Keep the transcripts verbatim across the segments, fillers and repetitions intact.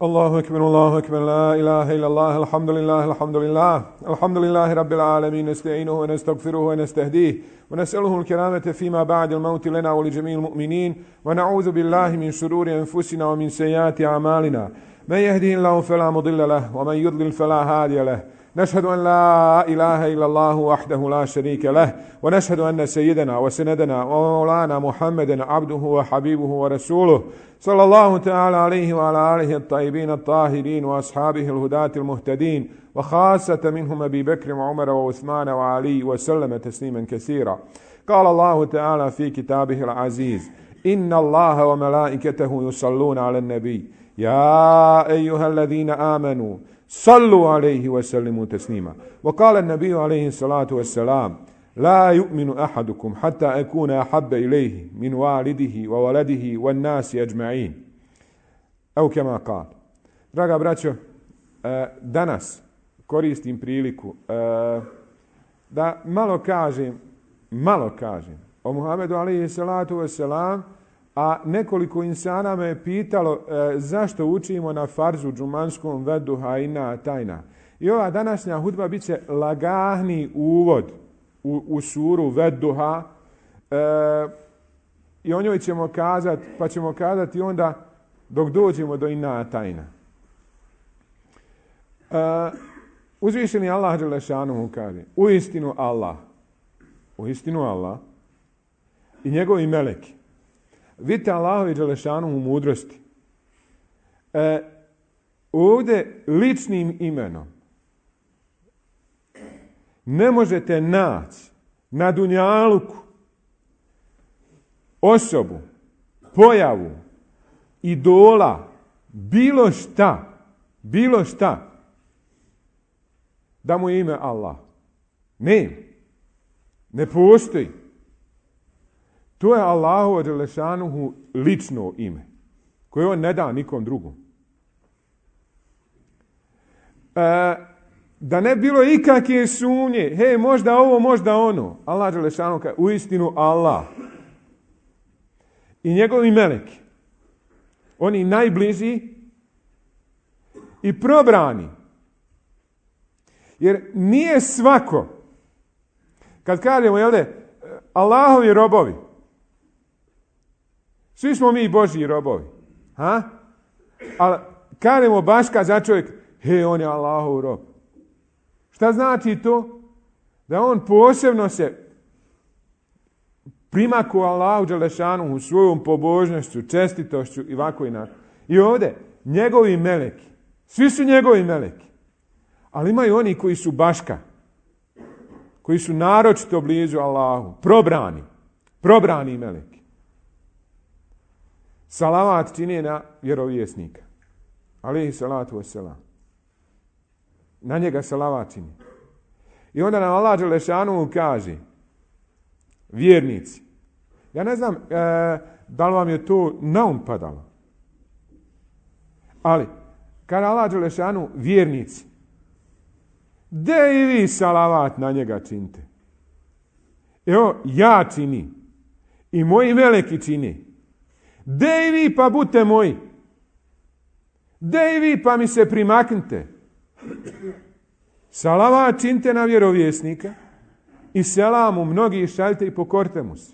Allahu akbar, Allahu akbar, la ilaha illallah, alhamdulillah, alhamdulillah, alhamdulillahi rabbil alamin, nasta'inuhu wa nastaghfiruhu wa nastahdihi wa nas'aluhu al-karamata fima ba'da al-maut lana wa li jami'il mu'minin wa na'udhu billahi min shururi anfusina wa min sayyiati a'malina. Man yahdihillahu fala mudilla lahu wa man yudlil fala hadiya lahu. نشهد أن لا إله إلا الله وحده لا شريك له ونشهد أن سيدنا وسندنا ومولانا محمدا عبده وحبيبه ورسوله صلى الله تعالى عليه وعلى آله الطيبين الطاهرين وأصحابه الهداة المهتدين وخاصة منهم أبي بكر وعمر وعثمان وعلي وسلم تسليما كثيرا. قال الله تعالى في كتابه العزيز: إن الله وملائكته يصلون على النبي يا أيها الذين آمنوا صلوا عليه وسلموا تسليما. وقال النبي عليه الصلاة والسلام: لا يؤمن أحدكم حتى أكون أحب إليه من والده وولده والناس أجمعين. أو كما قال. Draga braćo, danas koristim priliku da malo kažem, malo kažem o Muhammedu alejhi salatu vesselam, a nekoliko insana me je pitalo e, zašto učimo na farzu džumanskom veduha ina tajna. I ova današnja hudba bit će lagahni uvod u, u suru veduha e, i o njoj ćemo kazati, pa ćemo kazati onda dok dođemo do ina tajna. E, uzvišeni Allah dželešanuhu kaže: uistinu Allah, uistinu Allah i njegovi meleki. Vidite Allahovi dželešanuhu mudrosti. E, ovdje ličnim imenom ne možete naći na dunjaluku osobu, pojavu, idola, bilo šta, bilo šta, da mu je ime Allah. Ne, ne postoji. To je Allahu dželešanuhu lično ime, koje on ne da nikom drugom. E, da ne bilo ikakve sumnje, hej, možda ovo, možda ono. Allah dželešanuhu kaže: uistinu Allah i njegovi meleki, oni najbliži i probrani. Jer nije svako, kad kažemo, jel de, Allahovi robovi, svi smo mi Božji robovi. Ha? Ali kažemo baška za čovjek, he, on je Allahov rob. Šta znači to? Da on posebno se primaku Allahu dželešanuhu svojom pobožnošću, čestitošću i ovako i onako. I ovdje njegovi meleki, svi su njegovi meleki, ali imaju oni koji su baška, koji su naročito blizu Allahu, probrani, probrani meleki. Salavat čini na vjerovjesnika, alejhi salatu vesselam. Na njega salavat čini. I onda nam Allah dželešanuhu kaže: vjernici. Ja ne znam e, da li vam je to naum padalo, ali kada Allah dželešanuhu vjernici, de i vi salavat na njega činite. Evo, ja čini i moji meleki čini. De i vi pa budite moji. De i vi pa mi se primaknite. Salavat činite na vjerovjesnika i selamu mnogi šaljite i pokorite mu se.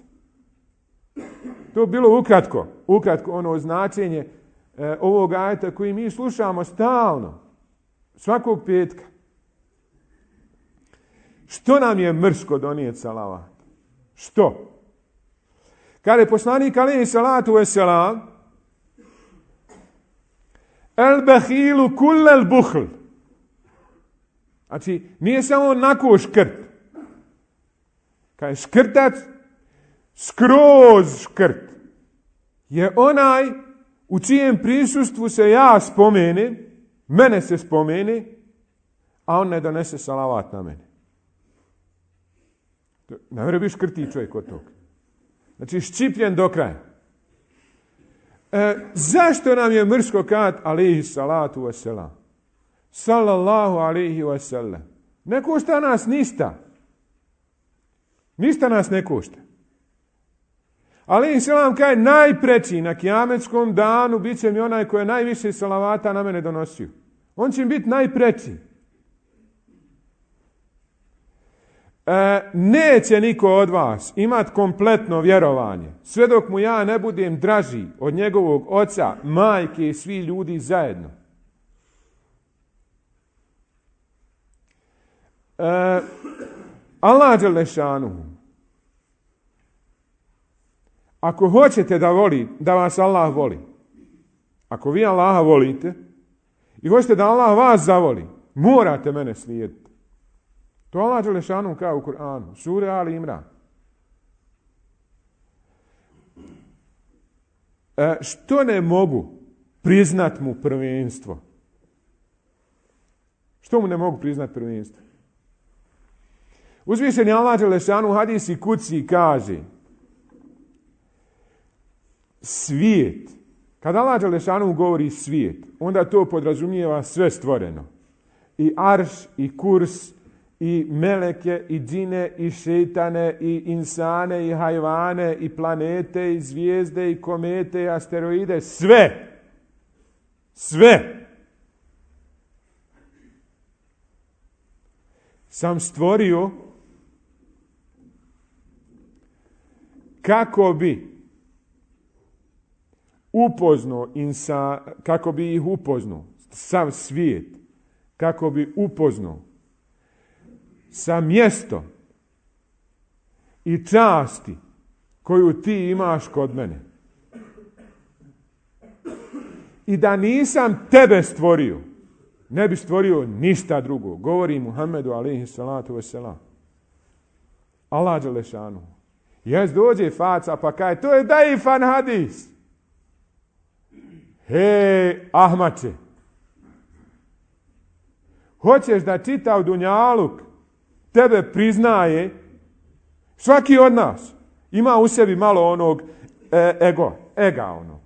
To je bilo ukratko, ukratko ono značenje e, ovog ajeta koji mi slušamo stalno, svakog petka. Što nam je mrsko donijeti salavat? Što? Kada je poslanik alejhi salatu vesselam: el behilu kullel buhl. Znači, nije samo onako škrt. Kada je škrtac, skroz škrt, je onaj u čijem prisustvu se ja spomene, mene se spomene, a on ne donese salavat na mene. Ne mora biti škrti čovjek od toga. Znači, ščipljen do kraja. E, zašto nam je mrsko kad alejhi salatu vesselam? Sallallahu alejhi ve sellem. Ne košta nas ništa. Ništa nas ne košta. Ali selam kaže najpreći na kijametskom danu bit će mi onaj koji je najviše salavata na mene donosio. On će mi biti najpreći. E, neće niko od vas imati kompletno vjerovanje sve dok mu ja ne budem draži od njegovog oca, majke i svi ljudi zajedno. E, Allah dželešanu, ako hoćete da voli, da vas Allah voli, ako vi Allaha volite i hoćete da Allah vas zavoli, morate mene slijediti. To Allah dželešanu kao u Kur'anu, sura Ali Imran. E, što ne mogu priznat mu prvenstvo? Što mu ne mogu priznat prvenstvo? Uzvišeni Allah dželešanu u hadisi kuci kaže svijet. Kada Allah dželešanu govori svijet, onda to podrazumijeva sve stvoreno. I arš, i kurs, i meleke, i džine, i šejtane, i insane, i hajvane, i planete, i zvijezde, i komete, i asteroide. Sve. Sve. Sam stvorio kako bi upoznao insa, kako bi ih upoznao, sav svijet, kako bi upoznao sa mjesto i časti koju ti imaš kod mene. I da nisam tebe stvorio, ne bi stvorio ništa drugo. Govori Muhammedu alejhi salatu vesselam. Allah dželešanu. Jes dođe faca pa kaže, to je daifan hadis. Hej, Ahmače, hoćeš da čitav dunjaluk tebe priznaje? Svaki od nas ima u sebi malo onog e, ego, ega onog.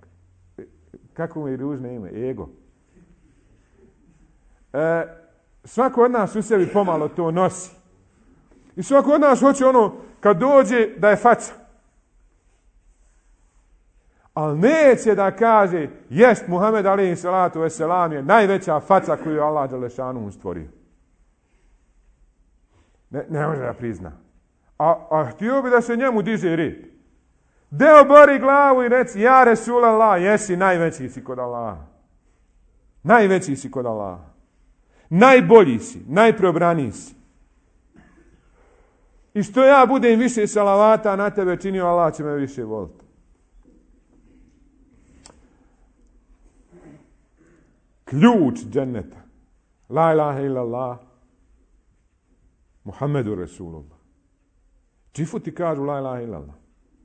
Kako mu je ružno ime? Ego. E, svako od nas u sebi pomalo to nosi. I svako od nas hoće ono kad dođe da je faca. Ali neće da kaže jest Muhammed alejhi salatu vesselam je najveća faca koju je Allah dželešanu stvorio. Ne, ne može da prizna. A, a htio bi da se njemu diže red. Deo bori glavu i reci, ja Resulallah, jesi najveći si kod Allaha. Najveći si kod Allaha. Najbolji si, najprobraniji si. I što ja budem više salavata na tebe činio, Allah će me više voliti. Ključ dženneta. La ilaha illallah. Muhammedu Resulullah. Džifuti kažu la ilaha illallah.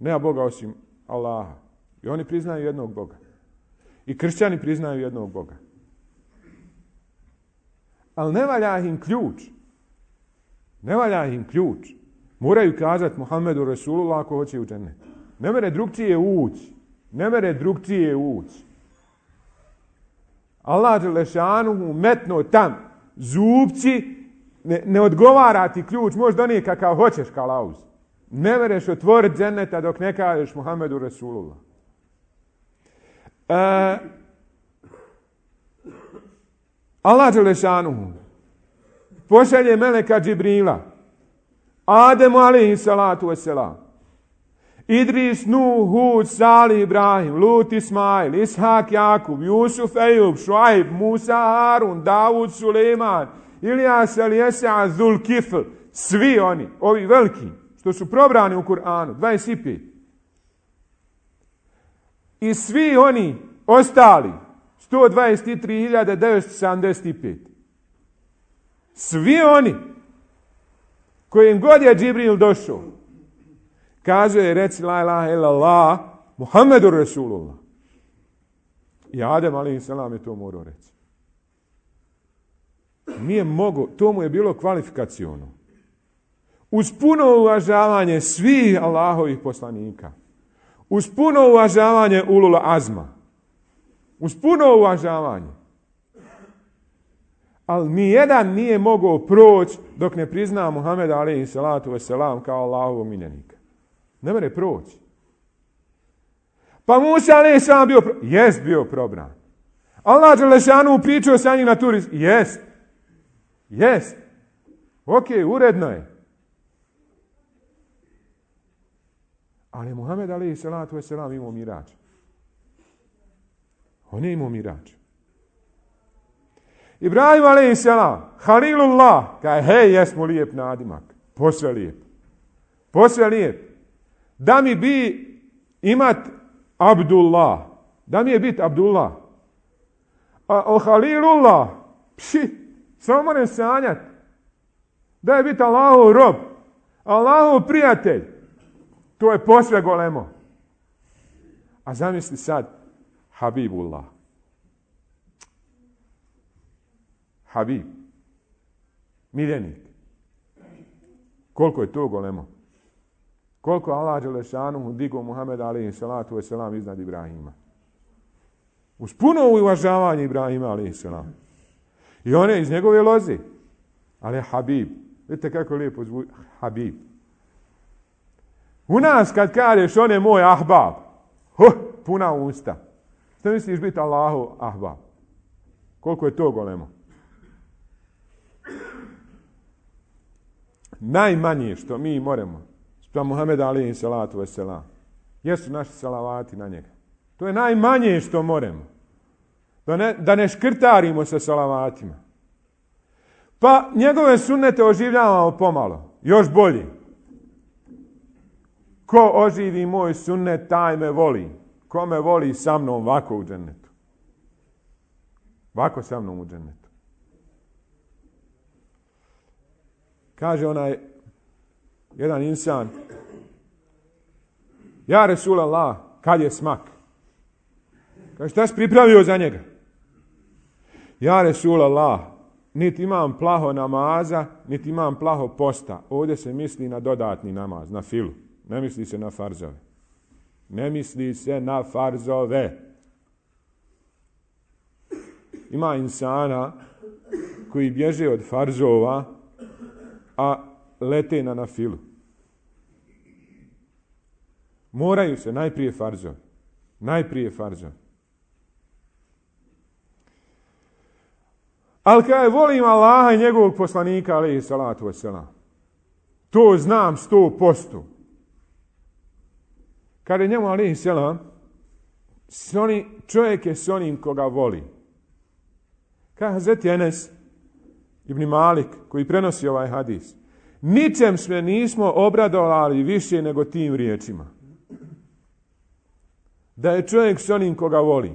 Nema Boga osim Allaha. I oni priznaju jednog Boga. I kršćani priznaju jednog Boga. Ali ne valja im ključ. Ne valja im ključ. Moraju kazati Muhammedu Resulullah ako hoće u džennet. Ne mere drugčije ući. Ne mere drugčije ući. Allah dželešanu metno tam zubci, ne, ne odgovara ti ključ, možeš donijeti kakav hoćeš kalauz. Ne mereš otvoriti dženneta dok ne kažeš Muhammedu Resulullah. E, Allah dželešanu pošalje meleka Džibrila, Ademu alejhi salatu vesselam, Idris, Nuh, Hud, Salih, Ibrahim, Lut, Ismail, Ishak, Jakub, Jusuf, Ejub, Šuajb, Musa, Harun, Davud, Suleiman, Ilijas, Elijesa, Zulkifl, svi oni, ovi veliki, što su probrani u Kur'anu, dvadeset pet. I svi oni ostali, sto dvadeset tri hiljade devetsto sedamdeset pet. Svi oni, kojim god je Džibril došao, kaže, reci la ilaha illallah, Muhammedu Resulullah. I Adem alejhi selam je to morao reći. Nije mogo, to mu je bilo kvalifikaciono. Uz puno uvažavanje svih Allahovih poslanika, uz puno uvažavanje ulul azma, uz puno uvažavanje. Ali nijedan nije mogao proći dok ne prizna Muhameda alejhi salatu vesselam kao Allahovog miljenika. Ne mere proći. Pa Musa alejhi selam bio, pro... jest bio probran. Allah dželešanu pričao sa njim na turi, jest, jest, ok, uredno je. Ali Muhammed alejhi salatu vesselam imao mirađ. On je imao mirađ. Ibrahim alejhi selam, Halilullah, kaže, hej, jesmo lijep nadimak, posve lijep, posve lijep. Da mi bi imat Abdullah, da mi je bit Abdullah, a o Halilullah, pši, samo moram sanjat, da je bit Allahov rob, Allahov prijatelj, to je posve golemo. A zamisli sad, Habibullah. Habib. Miljenik. Koliko je to golemo? Koliko Allah dželešanu digao Muhameda alejhi salatu vesselam iznad Ibrahima. Uz puno uvažavanje Ibrahima alejhi selam. I on je iz njegove loze. Ali je Habib. Vidite kako lijepo zvuči. Habib. U nas kad kažeš on je moj ahbab. Huh, puna usta. Što misliš biti Allahov ahbab? Koliko je to golemo? Najmanje što mi moramo spram Muhameda alejhi salatu vesselam jesu naši salavati na njega. To je najmanje što moramo. Da ne, da ne škrtarimo sa salavatima. Pa njegove sunnete oživljavamo pomalo. Još bolje. Ko oživi moj sunnet, taj me voli. Ko me voli sa mnom ovako u džennetu. Ovako sa mnom u džennetu. Kaže onaj jedan insan, ja Resulallah, kad je smak? Kaže, šta si pripravio za njega? Ja Resulallah, niti imam plaho namaza, niti imam plaho posta. Ovdje se misli na dodatni namaz, na filu. Ne misli se na farzove. Ne misli se na farzove. Ima insana koji bježe od farzova, a lete na nafilu. Moraju se najprije farzovi. Najprije farzovi. Ali kada volim Allaha i njegovog poslanika, alejhi salatu vesselam, to znam sto posto. Kada je njemu, alejhi selam, čovjek je s onim koga voli. Kada Hazreti Enes ibn Malik, koji prenosi ovaj hadis, ničem sve nismo obradovali više nego tim riječima. Da je čovjek s onim koga voli.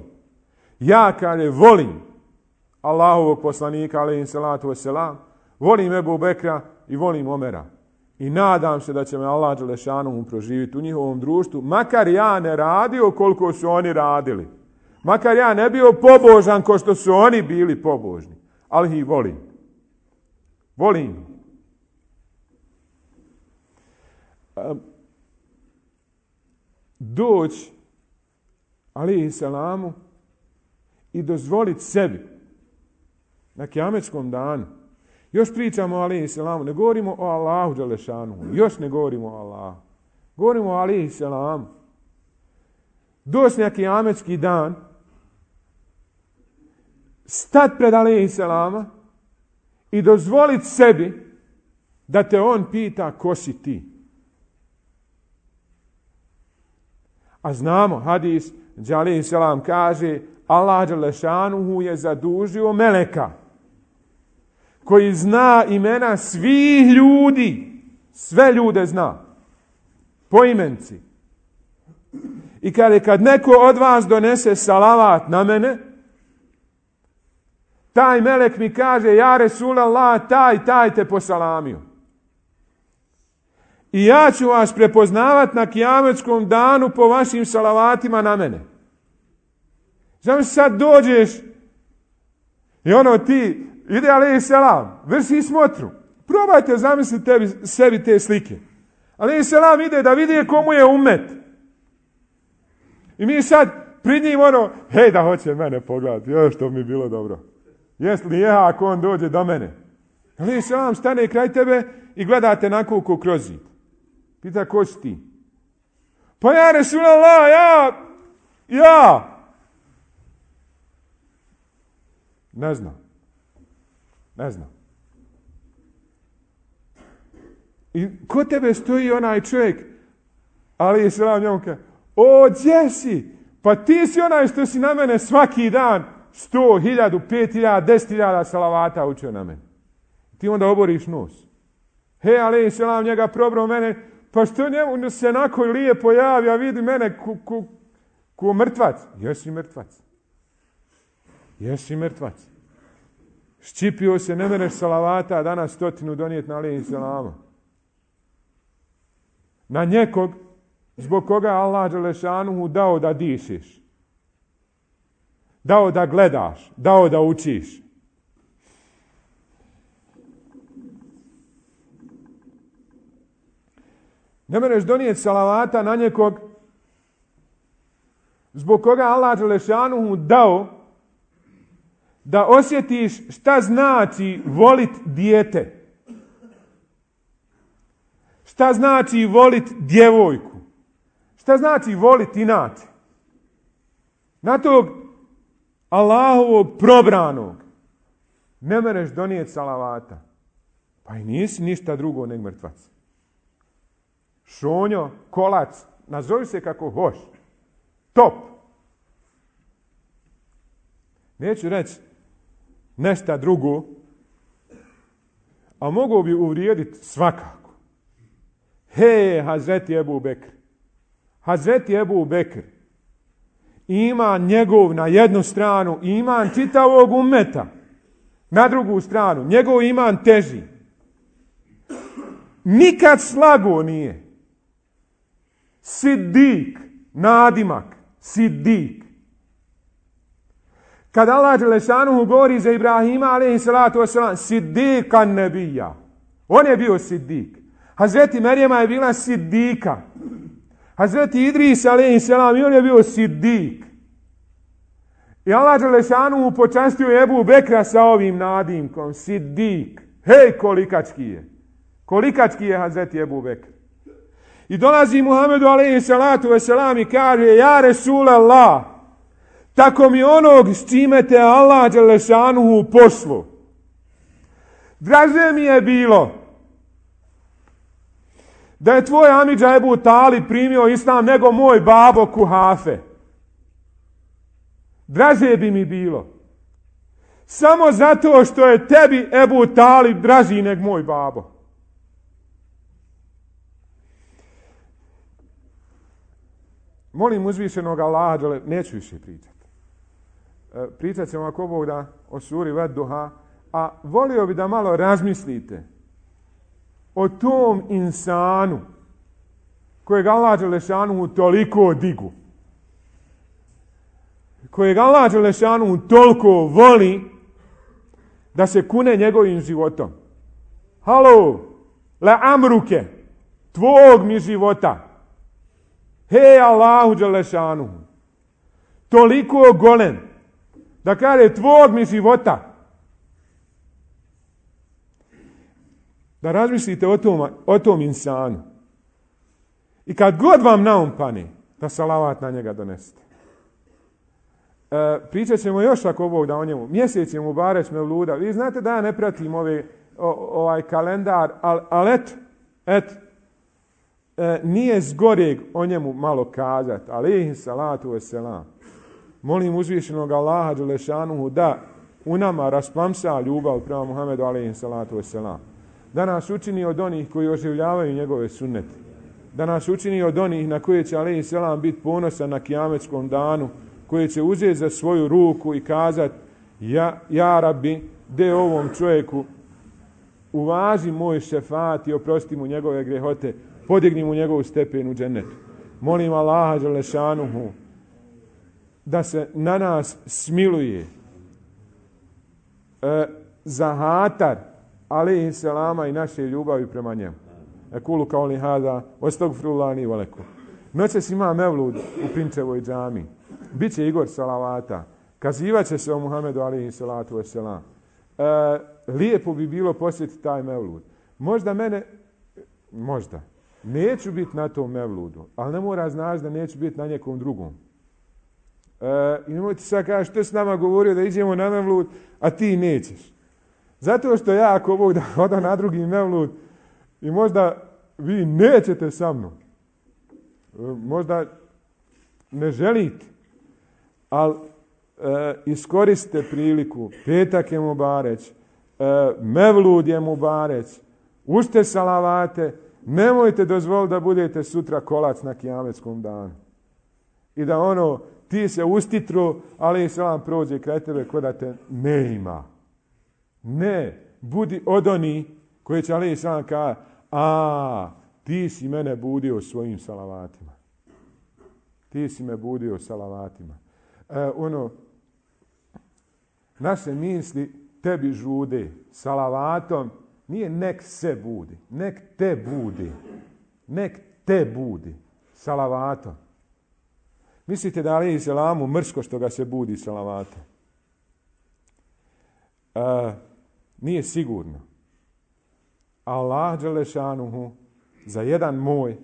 Ja kada volim Allahovog poslanika, alejhi salatu vesselam, volim Ebu Bekra i volim Omera. I nadam se da će me Allah dželešanu proživiti u njihovom društvu, makar ja ne radio koliko su oni radili. Makar ja ne bio pobožan ko što su oni bili pobožni. Ali ih volim. Volim. Doći alejhi selamu i dozvoliti sebi na kijametskom danu. Još pričamo o alejhi selamu, ne govorimo o Allahu dželešanu, još ne govorimo o Allahu. Govorimo o alejhi selamu. Doći na kijametski dan, stat pred alejhi selama i dozvoliti sebi da te on pita ko si ti. A znamo, hadis, gdje alejhi selam kaže, Allah dželešanuhu je zadužio meleka koji zna imena svih ljudi. Sve ljude zna. Po imenci. I kada kad neko od vas donese salavat na mene, taj melek mi kaže, ja Resulallah, taj, taj te posalamio. I ja ću vas prepoznavati na kijametskom danu po vašim salavatima na mene. Znam se sad dođeš i ono ti, ide alejhi selam, vrši smotru. Probajte zamisliti tebi, sebi te slike. Alejhi selam ide da vidi komu je umet. I mi sad pred njim ono, hej da hoće mene pogledati, još to mi bilo dobro. Jes li je ako on dođe do mene? Alejhi selam stane kraj tebe i gledate na kuku kroz zid. Pita, ko si ti? Pa ja Resulallah, ja Ja! Ne znam. Ne znam. I kod tebe stoji onaj čovjek, ali je selam njemu kaže, o, gdje si? Pa ti si onaj što si na mene svaki dan sto, hiljadu, pet hiljada, deset hiljada salavata učio na mene. Ti onda oboriš nos. He, ali selam njega probro mene, pa što njemu se onako lijepo javi, a vidi mene ko, ko, ko mrtvac. Jesi mrtvac. Jesi mrtvac. Ščipio se, ne meneš salavata, a danas stotinu donijeti na alejhi selama. Na nekog zbog koga Allah dželešanuhu dao da dišeš. Dao da gledaš, dao da učiš. Ne meneš donijeti salavata na nekog zbog koga Allah dželešanuhu dao da osjetiš šta znači volit dijete. Šta znači volit djevojku? Šta znači volit inače? Na tog Allahovog probranog ne mereš donijeti salavata. Pa i nisi ništa drugo nego mrtvac. Šonjo, kolac, nazovi se kako hoš. Top. Neću reći nešto drugo, a mogu bi uvrijediti svakako. He, Hazreti Ebu Bekr. Hazreti Ebu Bekr ima njegov na jednu stranu iman čitavog ummeta, na drugu stranu njegov iman teži. Nikad slago nije. Siddik, nadimak, Siddik. Kad Allah dželešanuhu govori za Ibrahima alejhi salatu vesselam, Siddikan nebija. On je bio Siddik. Hazreti Merijema je bila Siddika. Hazreti Idris alejhi selam i on je bio Siddik. I Allah dželešanuhu počastio Ebu Bekra sa ovim nadimkom, Siddik. Hej, kolikački je. Kolikački je Hazreti Ebu Bekr. I dolazi Muhammedu alejhi salatu vesselam i kaže, ja Resulallah, tako mi onog s čime te Allah dželešanuhu poslao. Draže mi je bilo da je tvoj amidža Ebu Talib primio islam nego moj babo Kuhafe. Draže bi mi bilo. Samo zato što je tebi Ebu Talib draži nego moj babo. Molim uzvišenog Allaha, neću više pričati. Pričat ćemo ako Bog da o suri Ved-Duha, a volio bi da malo razmislite o tom insanu kojeg Allah dželešanuhu toliko digu, kojeg Allah dželešanuhu toliko voli da se kune njegovim životom. Halo, la amruke, tvog mi života. Hej Allahu dželešanuhu, toliko golem da kaže tvog mi života. Da razmislite o tom, o tom insanu. I kad god vam naum pane, da salavat na njega donesete. E, pričat ćemo još ako Bog da o njemu. Mjesec je Mubarek Mevluda. Vi znate da ja ne pratim ove, o, ovaj kalendar, ali al et, et, e, nije zgoreg o njemu malo kazat. Alejhi salatu vesselam. Molim uzvišenog Allaha dželešanuhu da u nama rasplamsa ljubav prema Muhammedu alejhi salatu vesselam. Da nas učini od onih koji oživljavaju njegove sunnete. Da nas učini od onih na koje će alejhi selam biti ponosan na kijametskom danu, koji će uzeti za svoju ruku i kazati, ja, ja Rabbi, de ovom čovjeku, uvaži moj šefat i oprosti mu njegove grehote, podigni mu njegovu stepen u džennetu. Molim Allaha dželešanuhu da se na nas smiluje e, za hatar alejhi selama i naše ljubavi prema njemu. Ekulu kao li hada, ostagfirullani valekum. Noćas ima mevlud u Pinčevoj džami. Biće Igor salavata. Kazivat će se o Muhammedu alejhi salatu vesselam. E, lijepo bi bilo posjetiti taj mevlud. Možda mene, možda, neću biti na tom mevludu, ali ne mora znaći da neću biti na nekom drugom. E, I nemojte sad kaži, što si nama govorio da iđemo na mevlud, a ti nećeš. Zato što ja, ako Bog da odam na drugi mevlud, i možda vi nećete sa mnom. E, možda ne želite. Ali e, iskoristite priliku. Petak je Mubareć. E, mevlud je Mubareć. Učite salavate. Nemojte dozvoliti da budete sutra kolac na kijametskom danu. I da ono, ti se ustitru, ali selam prođe kraj tebe ko da te ne ima. Ne, budi od oni koji će ali selam kaže, a ti si mene budio svojim salavatima. Ti si me budio salavatima. E, ono, naše misli tebi žude salavatom, nije nek se budi, nek te budi, nek te budi salavatom. Mislite da ali selamu mrsko što ga se budi salavatom? E, nije sigurno. Allah dželešanuhu za jedan moj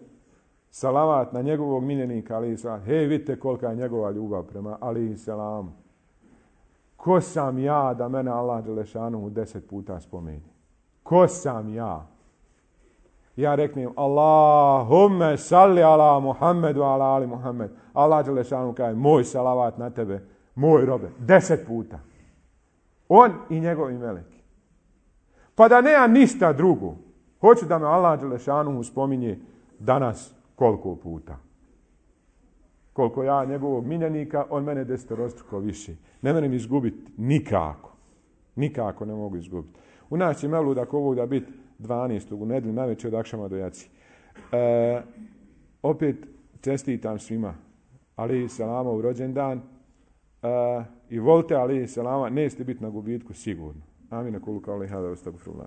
salavat na njegovog miljenika alejhi selam. Hej, vidite kolika je njegova ljubav prema alejhi selamu. Ko sam ja da mene Allah dželešanuhu deset puta spomeni? Ko sam ja? Ja reknem Allahumme salli ala Muhammedu ala ali Muhammed. Allah dželešanuhu kaže moj salavat na tebe, moj robe, deset puta. On i njegovi meleki. Pa da nema ništa drugo. Hoću da me Allah dželešanuhu spominje danas koliko puta. Koliko ja njegovog miljenika, on mene desetorostruko više. Ne moram izgubiti nikako. Nikako ne mogu izgubiti. U nas će mevlud ako ovo da biti dvanaestog u nedjelju najveće od akšama do jaci. E, opet čestitam svima alejhi selama u rođendan e, i volite alejhi selama, nećete biti na gubitku sigurno. Amin, kulu kao lehada, ustagfirullah.